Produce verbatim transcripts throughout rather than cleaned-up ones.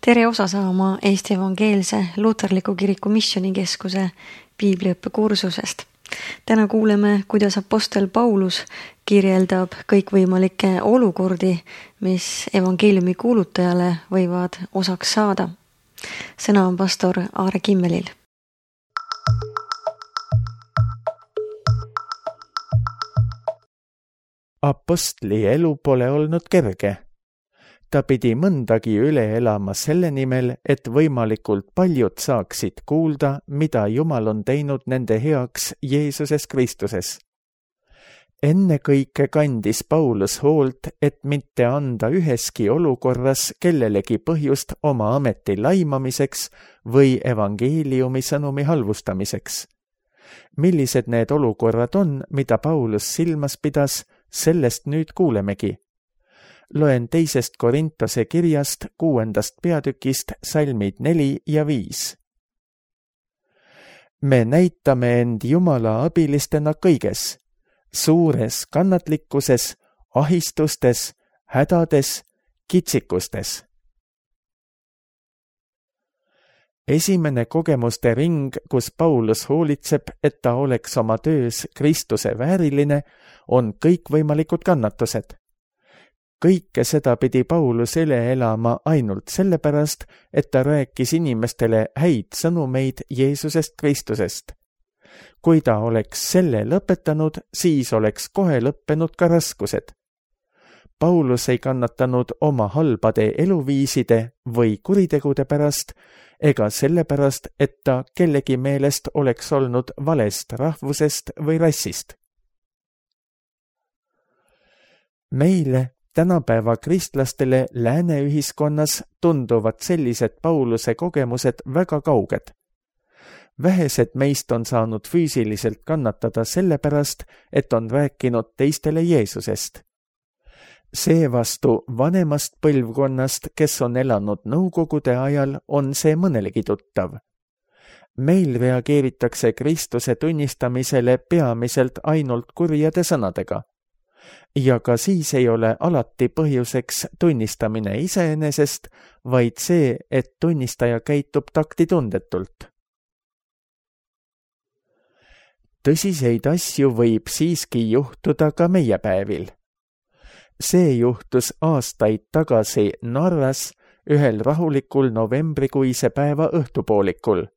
Tere osa saama Eesti Evangeelse Luterliku Kiriku Missioonikeskuse piibliõppekursusest. Täna kuuleme, kuidas apostel Paulus kirjeldab kõikvõimalikke olukordi, mis evangeeliumi kuulutajale võivad osaks saada. Sõna on pastor Aare Kimmelil. Apostli elu pole olnud kerge. Ta pidi mõndagi üle elama selle nimel, et võimalikult paljud saaksid kuulda, mida Jumal on teinud nende heaks Jeesuses Kristuses. Enne kõike kandis Paulus hoolt, et mitte anda üheski olukorras kellelegi põhjust oma ameti laimamiseks või evangeeliumi sõnumi halvustamiseks. Millised need olukorrad on, mida Paulus silmas pidas, sellest nüüd kuulemegi. Loen teisest Korintose kirjast kuuendast peatükist salmid neli ja viis. Me näitame end Jumala abilistena kõiges, suures kannatlikkuses, ahistustes, hädades, kitsikustes. Esimene kogemuste ring, kus Paulus hoolitseb, et ta oleks oma töös Kristuse vääriline, on kõikvõimalikud kannatused. Kõike seda pidi Paulus üle elama ainult sellepärast, et ta rääkis inimestele häid sõnumeid Jeesusest Kristusest. Kui ta oleks selle lõpetanud, siis oleks kohe lõppenud ka raskused. Paulus ei kannatanud oma halbade eluviiside või kuritegude pärast, ega sellepärast, et ta kellegi meelest oleks olnud valest rahvusest või rassist. Meile tänapäeva kristlastele lääne ühiskonnas tunduvad sellised Pauluse kogemused väga kauged. Vähesed meist on saanud füüsiliselt kannatada sellepärast, et on rääkinud teistele Jeesusest. Seevastu vanemast põlvkonnast, kes on elanud nõukogude ajal, on see mõnelegi tuttav. Meil reageeritakse Kristuse tunnistamisele peamiselt ainult kurjade sõnadega. Ja ka siis ei ole alati põhjuseks tunnistamine iseenesest, vaid see, et tunnistaja käitub taktitundetult. Tõsiseid asju võib siiski juhtuda ka meie päevil. See juhtus aastaid tagasi Narvas ühel rahulikul novembrikuise päeva õhtupoolikul.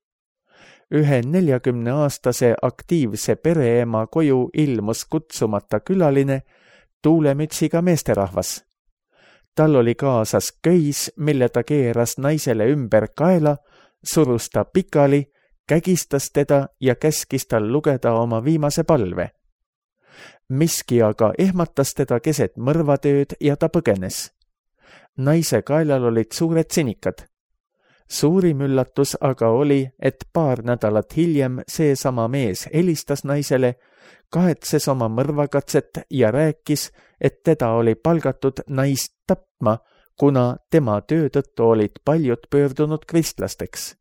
Ühe neljakümneaastase aktiivse pereema koju ilmus kutsumata külaline, tuulemütsiga meesterahvas. Tal oli kaasas köis, mille ta keeras naisele ümber kaela, surus ta pikali, kägistas teda ja käskis tal lugeda oma viimase palve. Miski aga ehmatas teda keset mõrvatööd ja ta põgenes. Naise kaelal olid suured sinikad. Suurim üllatus aga oli, et paar nädalat hiljem seesama mees helistas naisele, kahetses oma mõrvakatset ja rääkis, et teda oli palgatud naist tapma, kuna tema töö tõttu olid paljud pöördunud kristlasteks.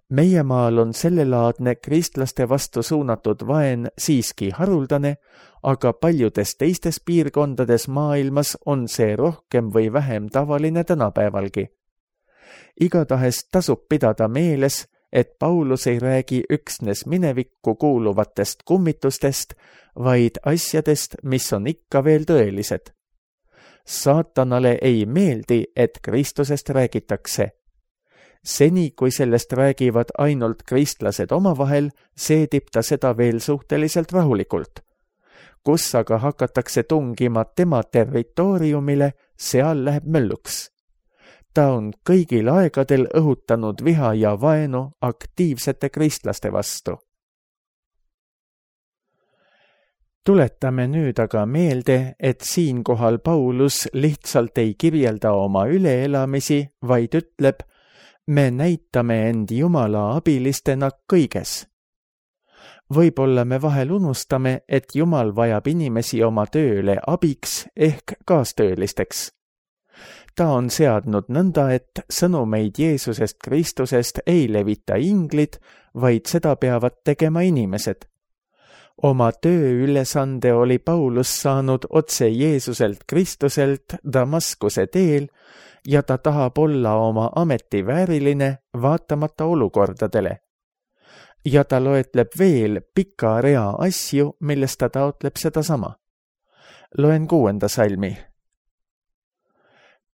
Meie maal on sellelaadne kristlaste vastu suunatud vaen siiski haruldane, aga paljudes teistes piirkondades maailmas on see rohkem või vähem tavaline tänapäevalgi. Igatahes tasub pidada meeles, et Paulus ei räägi üksnes minevikku kuuluvatest kummitustest, vaid asjadest, mis on ikka veel tõelised. Saatanale ei meeldi, et Kristusest räägitakse. Seni, kui sellest räägivad ainult kristlased omavahel, seedib ta seda veel suhteliselt rahulikult. Kus aga hakatakse tungima tema territooriumile, seal läheb mölluks. Ta on kõigil aegadel õhutanud viha ja vaenu aktiivsete kristlaste vastu. Tuletame nüüd aga meelde, et siinkohal Paulus lihtsalt ei kirjelda oma üleelamisi, vaid ütleb, me näitame end Jumala abilistena kõiges. Võib-olla me vahel unustame, et Jumal vajab inimesi oma tööle abiks ehk kaastöölisteks. Ta on seadnud nõnda, et sõnumeid Jeesusest Kristusest ei levita inglid, vaid seda peavad tegema inimesed. Oma tööülesande oli Paulus saanud otse Jeesuselt Kristuselt Damaskuse teel ja ta tahab olla oma ameti vääriline vaatamata olukordadele. Ja ta loetleb veel pika rea asju, millest ta taotleb sedasama. Loen kuuenda salmi.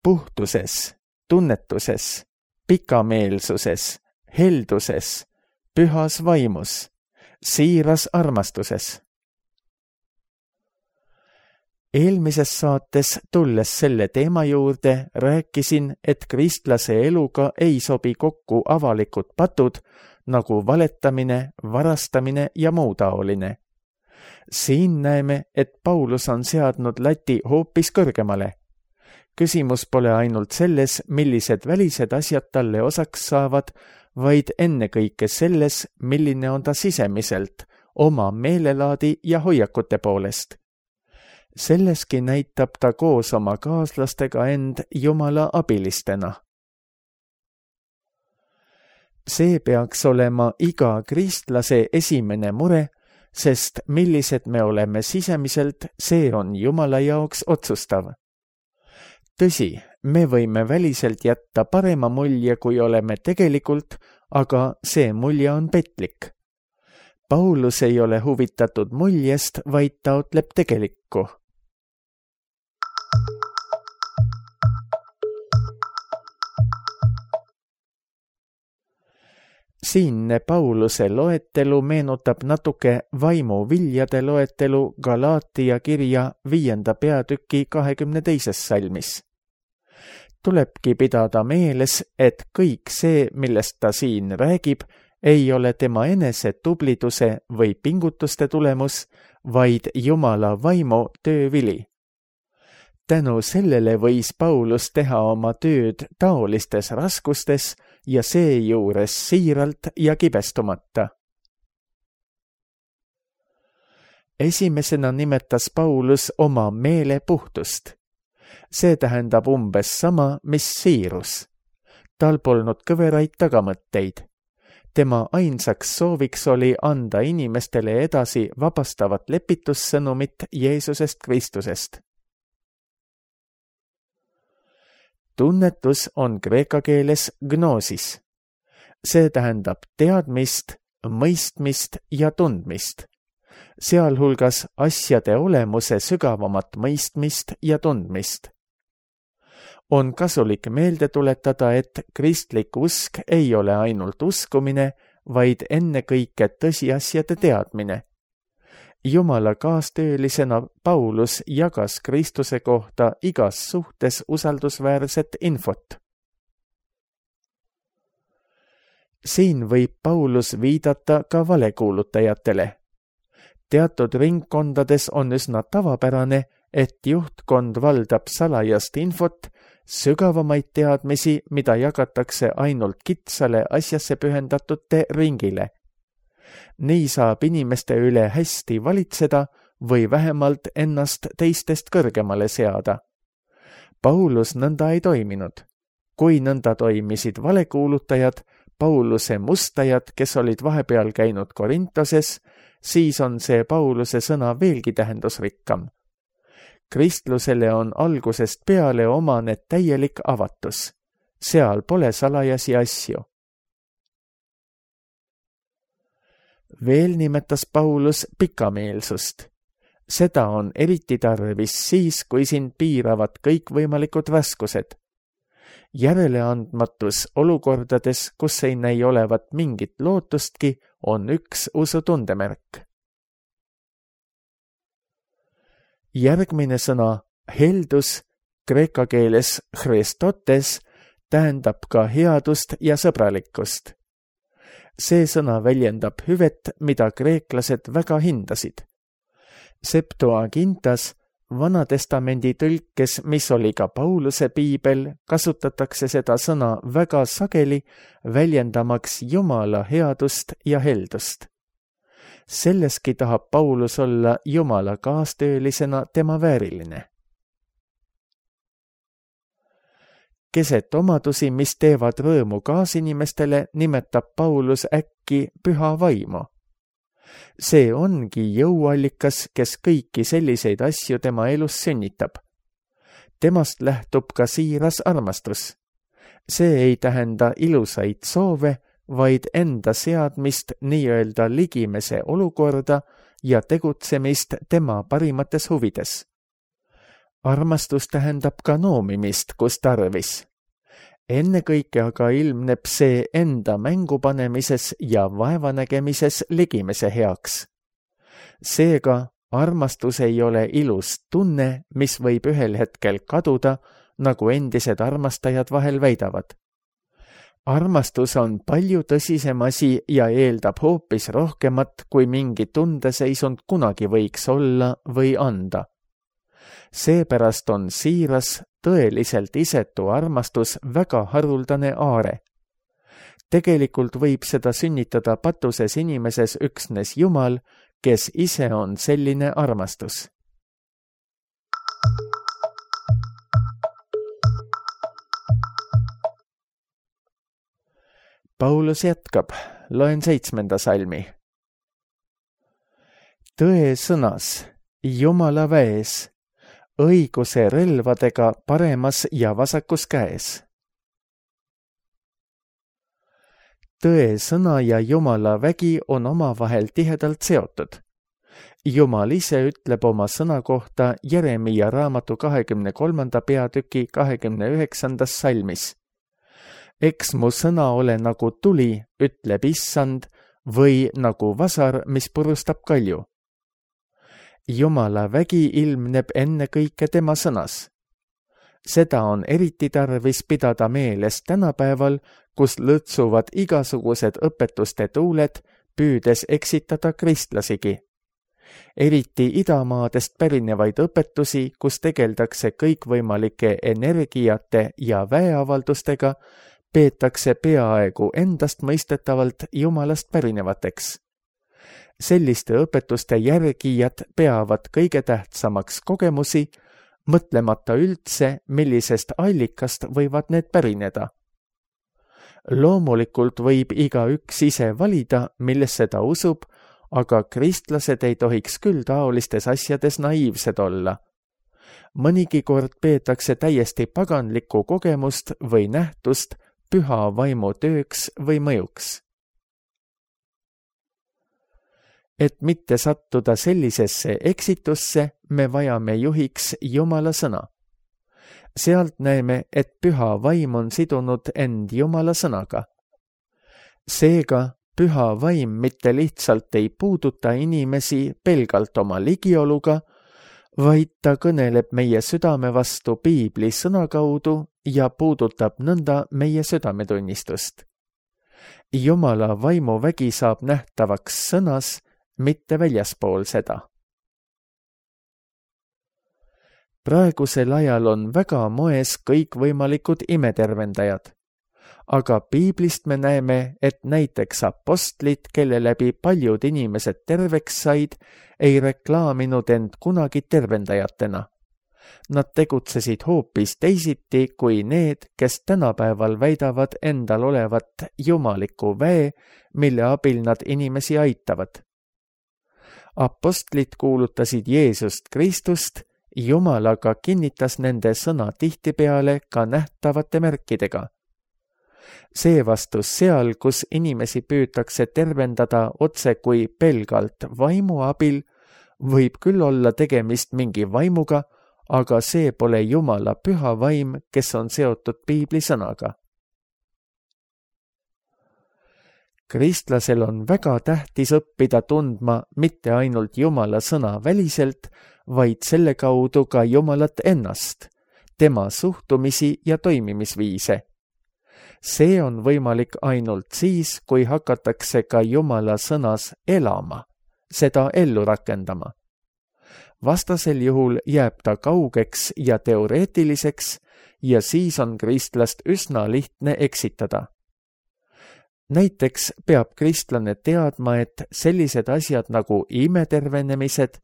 Puhtuses, tunnetuses, pikameelsuses, helduses, pühas vaimus, siiras armastuses. Eelmises saates tulles selle teema juurde rääkisin, et kristlase eluga ei sobi kokku avalikud patud nagu valetamine, varastamine ja muu taoline. Siin näeme, et Paulus on seadnud lati hoopis kõrgemale. Küsimus pole ainult selles, millised välised asjad talle osaks saavad, vaid ennekõike selles, milline on ta sisemiselt, oma meelelaadi ja hoiakute poolest. Selleski näitab ta koos oma kaaslastega end Jumala abilistena. See peaks olema iga kristlase esimene mure, sest millised me oleme sisemiselt, see on Jumala jaoks otsustav. Tõsi, me võime väliselt jätta parema mulje, kui oleme tegelikult, aga see mulje on petlik. Paulus ei ole huvitatud muljest, vaid taotleb tegelikku. Siinne Pauluse loetelu meenutab natuke vaimuviljade loetelu Galaatia kirja viienda peatüki kahekümne teises salmis. Tulebki pidada meeles, et kõik see, millest ta siin räägib, ei ole tema enese tubliduse või pingutuste tulemus, vaid Jumala vaimu töövili. Tänu sellele võis Paulus teha oma tööd taolistes raskustes ja seejuures siiralt ja kibestumata. Esimesena nimetas Paulus oma meele puhtust. See tähendab umbes sama, mis siirus. Tal polnud kõveraid tagamõtteid. Tema ainsaks sooviks oli anda inimestele edasi vabastavat lepitussõnumit Jeesusest Kristusest. Tunnetus on kreeka keeles gnoosis. See tähendab teadmist, mõistmist ja tundmist, sealhulgas asjade olemuse sügavamat mõistmist ja tundmist. On kasulik meelde tuletada, et kristlik usk ei ole ainult uskumine, vaid ennekõike tõsiasjade teadmine. Jumala kaastöölisena Paulus jagas Kristuse kohta igas suhtes usaldusväärset infot. Siin võib Paulus viidata ka valekuulutajatele. Teatud ringkondades on üsna tavapärane, et juhtkond valdab salajast infot, sügavamaid teadmisi, mida jagatakse ainult kitsale asjasse pühendatute ringile. Nii saab inimeste üle hästi valitseda või vähemalt ennast teistest kõrgemale seada. Paulus nõnda ei toiminud. Kui nõnda toimisid valekuulutajad, Pauluse mustajad, kes olid vahepeal käinud Korintoses, siis on see Pauluse sõna veelgi tähendusrikkam. Kristlusele on algusest peale omane täielik avatus. Seal pole salajasi asju. Veel nimetas Paulus pikameelsust. Seda on eriti tarvis siis, kui sind piiravad kõikvõimalikud raskused. Järeleandmatus olukordades, kus ei näi olevat mingit lootustki, on üks usutundemärk. Järgmine sõna heldus, kreeka keeles Christotes, tähendab ka headust ja sõbralikkust. See sõna väljendab hüvet, mida kreeklased väga hindasid. Septuagintas, Vanatestamendi tõlkes, mis oli ka Pauluse piibel, kasutatakse seda sõna väga sageli, väljendamaks Jumala headust ja heldust. Selleski tahab Paulus olla Jumala kaastöölisena tema vääriline. Keset omadusi, mis teevad rõõmu kaasinimestele, nimetab Paulus äkki püha vaimu. see ongi jõuallikas, kes kõiki selliseid asju tema elus sünnitab. Temast lähtub ka siiras armastus. See ei tähenda ilusaid soove, vaid enda seadmist nii-öelda ligimese olukorda ja tegutsemist tema parimates huvides. Armastus tähendab ka noomimist, kus tarvis. Ennekõike aga ilmneb see enda mängu panemises ja vaevanägemises ligimese heaks. Seega armastus ei ole ilus tunne, mis võib ühel hetkel kaduda, nagu endised armastajad vahel väidavad. Armastus on palju tõsisem asi ja eeldab hoopis rohkemat, kui mingi tundeseisund kunagi võiks olla või anda. Seepärast on siiras, tõeliselt isetu armastus väga haruldane aare. Tegelikult võib seda sünnitada patuses inimeses üksnes Jumal, kes ise on selline armastus. Paulus jätkab, loen seitsmenda salmi. Tõe sõnas, Jumala väes, õiguse relvadega paremas ja vasakus käes. Tõe sõna ja Jumala vägi on omavahel tihedalt seotud. Jumal ise ütleb oma sõna kohta Jeremiia raamatu kahekümne kolmanda peatüki kahekümne üheksandas salmis. Eks mu sõna ole nagu tuli, ütleb issand, või nagu vasar, mis purustab kalju. Jumala vägi ilmneb ennekõike tema sõnas. Seda on eriti tarvis pidada meeles tänapäeval, kus lõtsuvad igasugused õpetuste tuuled, püüdes eksitada kristlasigi. Eriti idamaadest pärinevaid õpetusi, kus tegeldakse kõikvõimalike energiate ja väeavaldustega, peetakse peaaegu endast mõistetavalt Jumalast pärinevateks. Selliste õpetuste järgijad peavad kõige tähtsamaks kogemusi, mõtlemata üldse, millisest allikast võivad need pärineda. Loomulikult võib igaüks ise valida, millesse ta usub, aga kristlased ei tohiks küll taolistes asjades naiivsed olla. Mõnigi kord peetakse täiesti paganlikku kogemust või nähtust püha vaimu tööks või mõjuks. Et mitte sattuda sellisesse eksitusse, me vajame juhiks Jumala sõna. Sealt näeme, et püha vaim on sidunud end Jumala sõnaga. Seega, püha vaim mitte lihtsalt ei puuduta inimesi pelgalt oma ligioluga, vaid ta kõneleb meie südame vastu piibli sõna kaudu ja puudutab nõnda meie südametunnistust. Jumala vaimuvägi saab nähtavaks sõnas, mitte väljaspool seda. Praegusel ajal on väga moes kõikvõimalikud imetervendajad, aga piiblist me näeme, et näiteks apostlid, kelle läbi paljud inimesed terveks said, ei reklaaminud end kunagi tervendajatena. Nad tegutsesid hoopis teisiti kui need, kes tänapäeval väidavad endal olevat jumaliku väe, mille abil nad inimesi aitavad. Apostlid kuulutasid Jeesust Kristust, Jumal aga kinnitas nende sõna tihtipeale ka nähtavate märkidega. Seevastu seal, kus inimesi püütakse tervendada otse kui pelgalt vaimu abil, võib küll olla tegemist mingi vaimuga, aga see pole Jumala püha vaim, kes on seotud piibli sõnaga. Kristlasel on väga tähtis õppida tundma mitte ainult Jumala sõna väliselt, vaid selle kaudu ka Jumalat ennast, tema suhtumisi ja toimimisviise. See on võimalik ainult siis, kui hakatakse ka Jumala sõnas elama, seda ellu rakendama. Vastasel juhul jääb ta kaugeks ja teoreetiliseks ja siis on kristlast üsna lihtne eksitada. Näiteks peab kristlane teadma, et sellised asjad nagu imetervenemised,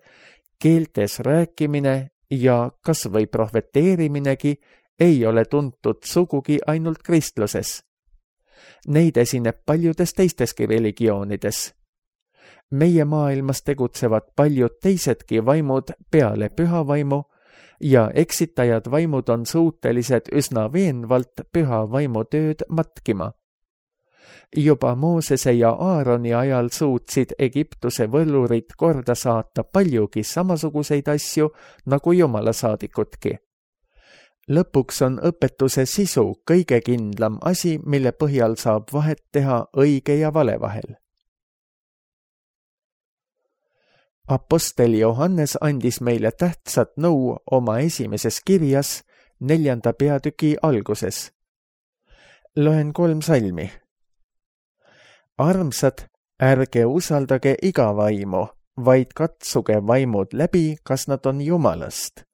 keeltes rääkimine ja kas või prohveteeriminegi ei ole tuntud sugugi ainult kristluses. Neid esineb paljudes teisteski religioonides. meie maailmas tegutsevad paljud teisedki vaimud peale püha vaimu ja eksitajad vaimud on suutelised üsna veenvalt püha vaimu tööd matkima. Juba Moosese ja Aaroni ajal suutsid Egiptuse võllurid korda saata paljugi samasuguseid asju nagu Jumala saadikutki. Lõpuks on õpetuse sisu kõige kindlam asi, mille põhjal saab vahet teha õige ja vale vahel. Apostel Johannes andis meile tähtsat nõu oma esimeses kirjas neljanda peatüki alguses. Loen kolm salmi. Armsad, ärge usaldage iga vaimu, vaid katsuge vaimud läbi, kas nad on Jumalast,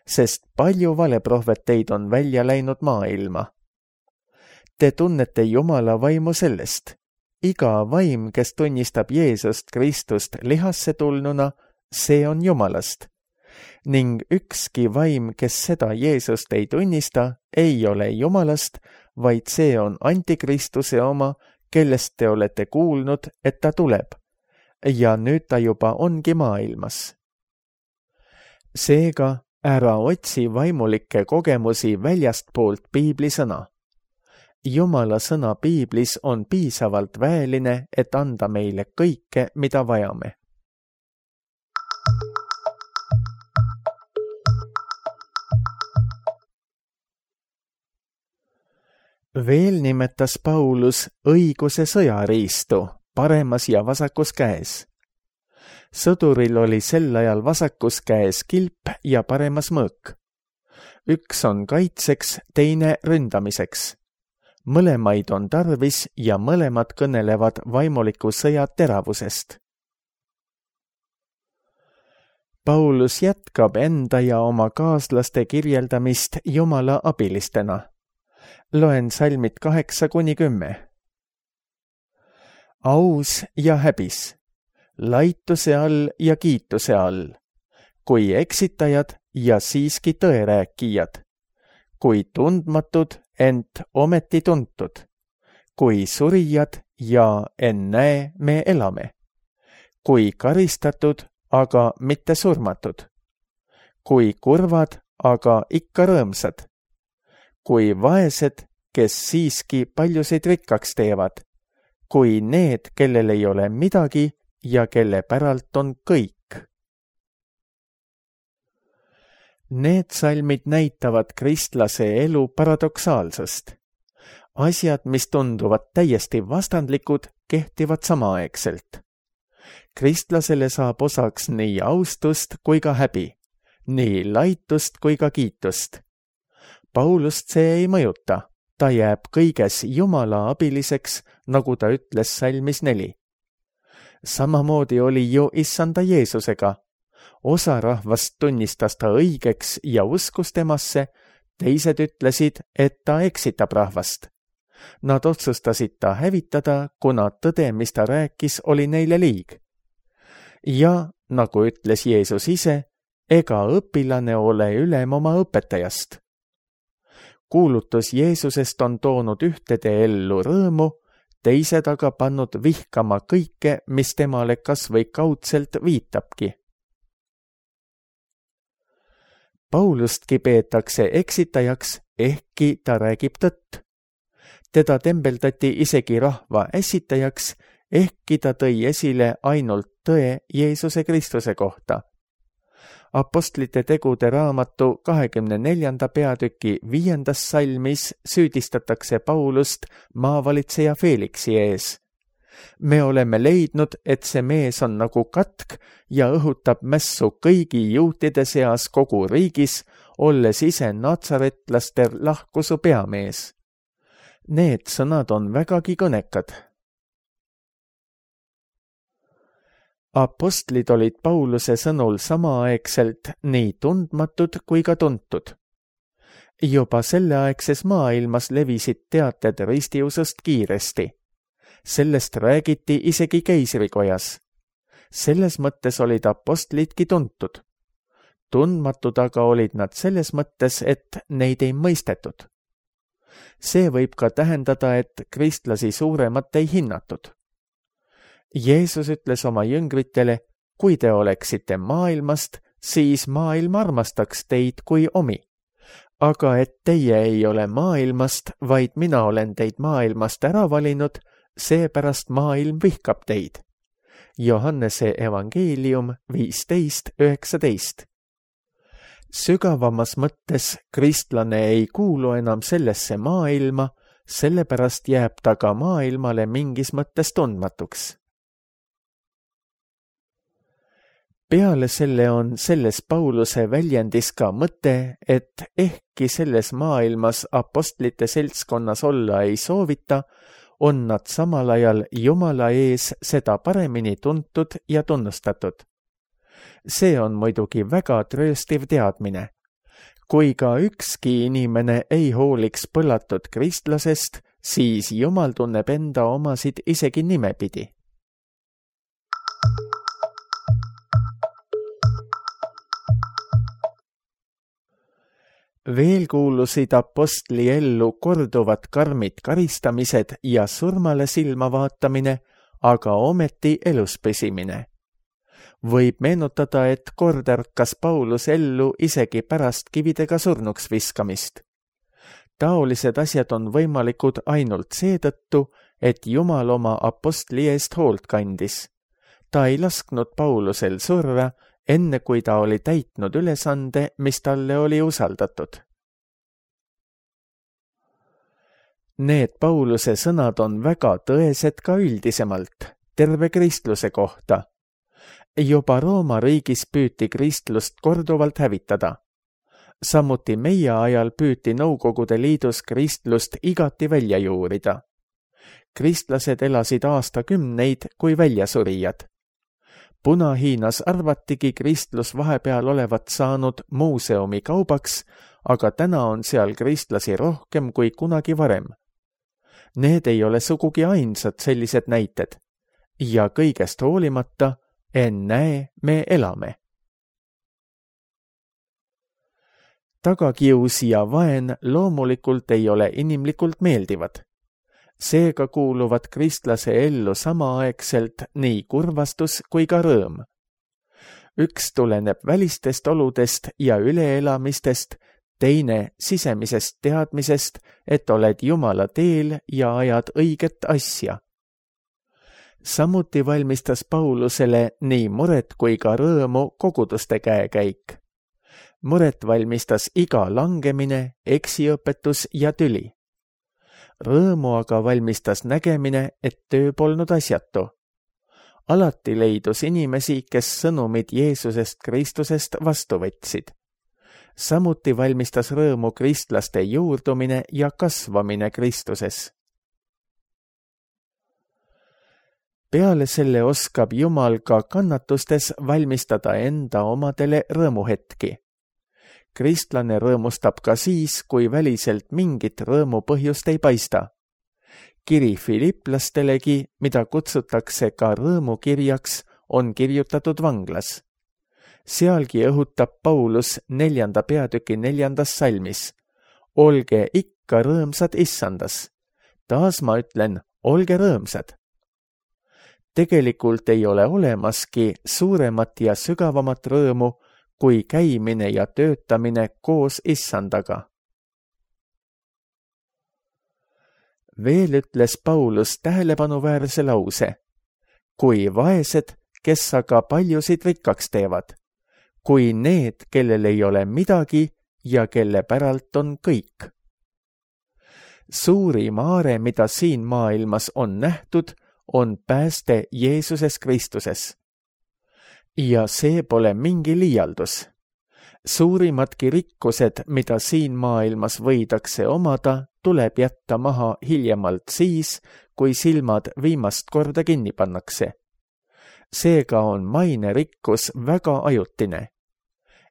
sest palju valeprohveteid on välja läinud maailma. Te tunnete Jumala vaimu sellest. Iga vaim, kes tunnistab Jeesust Kristust lihasse tulnuna, see on Jumalast. Ning ükski vaim, kes seda Jeesust ei tunnista, ei ole Jumalast, vaid see on Antikristuse oma, kellest te olete kuulnud, et ta tuleb. Ja nüüd ta juba ongi maailmas. Seega ära otsi vaimulikke kogemusi väljastpoolt piibli sõna. Jumala sõna piiblis on piisavalt väeline, et anda meile kõike, mida vajame. Veel nimetas Paulus õiguse sõjariistu paremas ja vasakus käes. Sõduril oli sel ajal vasakus käes kilp ja paremas mõõk. Üks on kaitseks, teine ründamiseks. Mõlemaid on tarvis ja mõlemad kõnelevad vaimuliku sõja teravusest. Paulus jätkab enda ja oma kaaslaste kirjeldamist Jumala abilistena. Loen salmid kaheksa kuni kümme. Aus ja häbis, laituse all ja kiituse all, kui eksitajad ja siiski tõerääkijad, kui tundmatud, ent ometi tuntud, kui surijad ja ennäe me elame, kui karistatud, aga mitte surmatud, kui kurvad, aga ikka rõõmsad, kui vaesed, kes siiski paljusid rikkaks teevad, kui need, kellel ei ole midagi ja kelle päralt on kõik. Need salmid näitavad kristlase elu paradoksaalsust. Asjad, mis tunduvad täiesti vastandlikud, kehtivad samaaegselt. Kristlasele saab osaks nii austust kui ka häbi, nii laitust kui ka kiitust. Paulust see ei mõjuta, ta jääb kõiges Jumala abiliseks, nagu ta ütles salmis neli. Samamoodi oli ju issanda Jeesusega. Osa rahvast tunnistas ta õigeks ja uskus temasse, teised ütlesid, et ta eksitab rahvast. Nad otsustasid ta hävitada, kuna tõde, mis ta rääkis, oli neile liig. Ja, nagu ütles Jeesus ise, ega õpilane ole ülem oma õpetajast. Kuulutus Jeesusest on toonud ühtede ellu rõõmu, teised aga pannud vihkama kõike, mis temale kas või kaudselt viitabki. Paulustki peetakse eksitajaks, ehkki ta räägib tõtt. Teda tembeldati isegi rahva ässitajaks, ehkki ta tõi esile ainult tõe Jeesuse Kristuse kohta. Apostlite tegude raamatu kahekümne neljanda peatüki viiendas salmis süüdistatakse Paulust maavalitseja Feliksi ees. Me oleme leidnud, et see mees on nagu katk ja õhutab mässu kõigi juutide seas kogu riigis, olles ise natsaretlaste lahkusu peamees. Need sõnad on vägagi kõnekad. Apostlid olid Pauluse sõnul samaaegselt nii tundmatud kui ka tuntud. Juba selleaegses maailmas levisid teated ristiusust kiiresti. Sellest räägiti isegi keisrikojas. Selles mõttes olid apostlidki tuntud. Tundmatud aga olid nad selles mõttes, et neid ei mõistetud. See võib ka tähendada, et kristlasi suuremat ei hinnatud. Jeesus ütles oma jüngritele, kui te oleksite maailmast, siis maailm armastaks teid kui omi. Aga et teie ei ole maailmast, vaid mina olen teid maailmast ära valinud, seepärast maailm vihkab teid. Johannese evangeelium viisteist üheksateist. Sügavamas mõttes kristlane ei kuulu enam sellesse maailma, sellepärast jääb ta ka maailmale mingis mõttes tundmatuks. Peale selle on selles Pauluse väljendis ka mõte, et ehkki selles maailmas apostlite seltskonnas olla ei soovita, on nad samal ajal Jumala ees seda paremini tuntud ja tunnustatud. See on muidugi väga trööstiv teadmine. Kui ka ükski inimene ei hooliks põllatud kristlasest, siis Jumal tunneb enda omasid isegi nimepidi. Veel kuulusid apostli ellu korduvad karmid karistamised ja surmale silma vaatamine, aga ometi elus püsimine. Võib meenutada, et kord ärkas Paulus ellu isegi pärast kividega surnuks viskamist. Taolised asjad on võimalikud ainult seetõttu, et Jumal oma apostli eest hoolt kandis. Ta ei lasknud Paulusel surra, enne kui ta oli täitnud ülesande, mis talle oli usaldatud. Need Pauluse sõnad on väga tõesed ka üldisemalt, terve kristluse kohta. Juba Rooma riigis püüti kristlust korduvalt hävitada. Samuti meie ajal püüti Nõukogude Liidus kristlust igati välja juurida. Kristlased elasid aastakümneid kui väljasurijad. Puna-Hiinas arvatigi kristlus vahepeal olevat saanud muuseumi kaubaks, aga täna on seal kristlasi rohkem kui kunagi varem. Need ei ole sugugi ainsad sellised näited. Ja kõigest hoolimata, ennäe, me elame. Tagakius ja vaen loomulikult ei ole inimlikult meeldivad. Seega kuuluvad kristlase ellu samaaegselt nii kurvastus kui ka rõõm. Üks tuleneb välistest oludest ja üleelamistest, teine sisemisest teadmisest, et oled Jumala teel ja ajad õiget asja. Samuti valmistas Paulusele nii muret kui ka rõõmu koguduste käekäik. Muret valmistas iga langemine, eksiõpetus ja tüli. Rõõmu aga valmistas nägemine, et töö polnud asjatu. Alati leidus inimesi, kes sõnumid Jeesusest Kristusest vastu võtsid. Samuti valmistas rõõmu kristlaste juurdumine ja kasvamine Kristuses. Peale selle oskab Jumal ka kannatustes valmistada enda omadele rõõmuhetki. Kristlane rõõmustab ka siis, kui väliselt mingit rõõmu põhjust ei paista. Kiri Filiplastelegi, mida kutsutakse ka rõõmukirjaks, on kirjutatud vanglas. Sealgi õhutab Paulus neljanda peatüki neljandas salmis. Olge ikka rõõmsad issandas. Taas ma ütlen, olge rõõmsad. Tegelikult ei ole olemaski suuremat ja sügavamat rõõmu, kui käimine ja töötamine koos issandaga. Veel ütles Paulus tähelepanuväärse lause. Kui vaesed, kes aga paljusid rikkaks teevad, kui need, kellel ei ole midagi ja kelle päralt on kõik. Suurim aare, mida siin maailmas on nähtud, on pääste Jeesuses Kristuses. Ja see pole mingi liialdus. Suurimadki rikkused, mida siin maailmas võidakse omada, tuleb jätta maha hiljemalt siis, kui silmad viimast korda kinni pannakse. Seega on maine rikkus väga ajutine.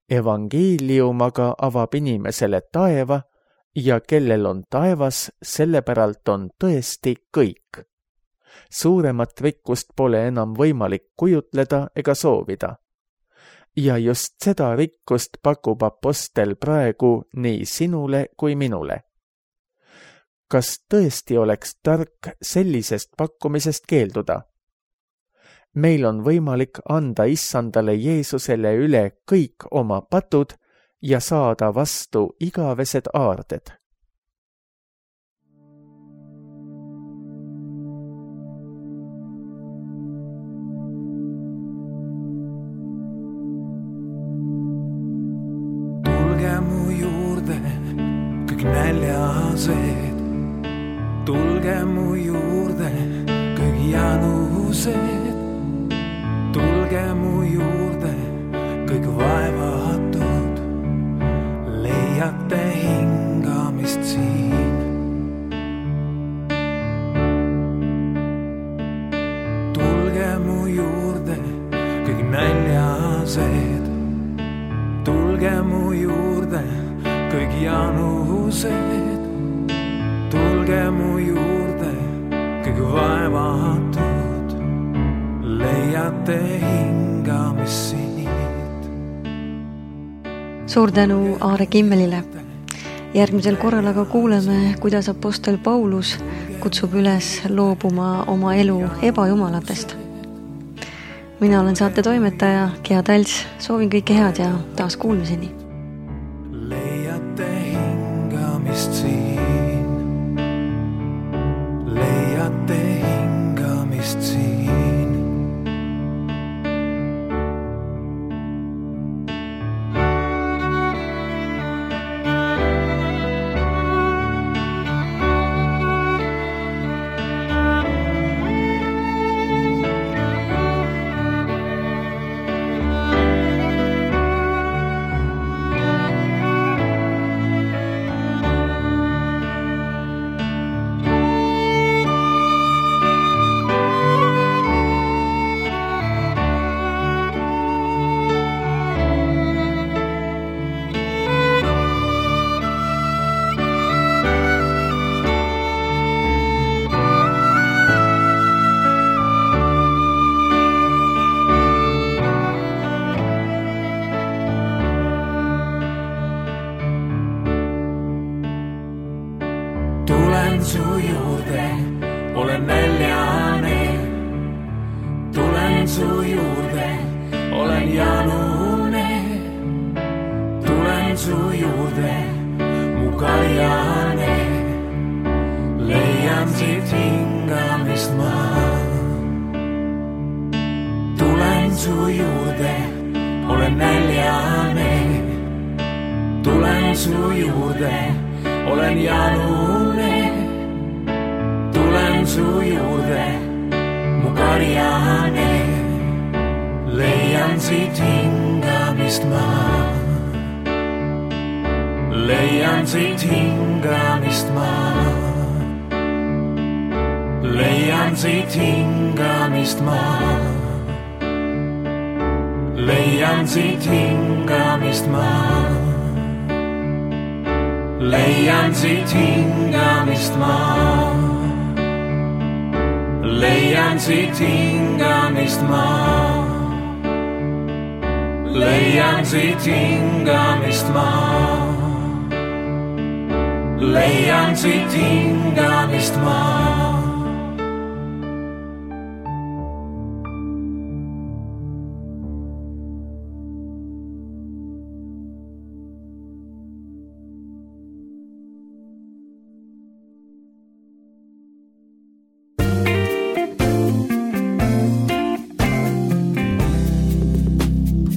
Evangeelium aga avab inimesele taeva ja kellel on taevas, selle päralt on tõesti kõik. Suuremat rikkust pole enam võimalik kujutleda ega soovida. Ja just seda rikkust pakub apostel praegu nii sinule kui minule. Kas tõesti oleks tark sellisest pakkumisest keelduda? meil on võimalik anda issandale Jeesusele üle kõik oma patud ja saada vastu igavesed aarded. Tulge mu juurde, kõik näljased, tulge mu juurde, kõik janused, tulge mu juurde, kõik vaevatud, leiate hingamist siin. Tulge mu juurde, kõik näljased, tulge mu juurde, kõik janused, tulge mu juurde, kõik vaevatud, leiate hingamist siit. Suur tänu Aare Kimmelile. Järgmisel korral aga kuuleme, kuidas apostel Paulus kutsub üles loobuma oma elu ebajumalatest. Mina olen saate toimetaja Gea Talts, soovin kõike head ja taas kuulmiseni. Leiate hingamist siin, leiate hingamist siin. Tulen su juurde, olen näljane. Tulen su juurde, olen janune. Tulen su juurde, mu kaljane. Leian siit hingamist ma. Tulen su juurde, olen näljane. Tulen su juurde, olen janune, tulen su juurde, mu karjane, leian siit hingamist ma. Leian siit hingamist ma. Leian siit hingamist ma. Leian siit hingamist ma. Leian siit hingamist ma. Leian siit hingamist ma. Leian siit hingamist ma. Leian siit hingamist ma.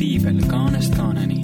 Piibel kaanest kaaneni.